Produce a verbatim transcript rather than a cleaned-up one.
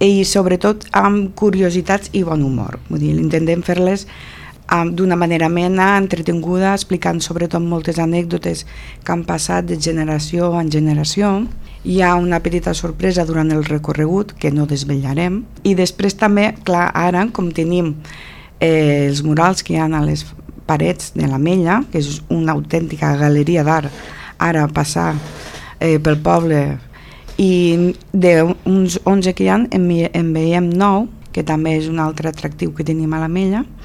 i sobretot amb curiositats i bon humor. Vull dir, intentem fer-les d'una manera amena, entretinguda, explicant sobretot moltes anècdotes que han passat de generació en generació. Hi ha una petita sorpresa durant el recorregut que no desvetllarem, i després també, clar, ara com tenim eh, els murals que hi ha a les parets de l'Ametlla, que és una autèntica galeria d'art, ara passar eh, pel poble, i d'uns onze que hi ha en, en veiem nou, que també és un altre atractiu que tenim a l'Ametlla.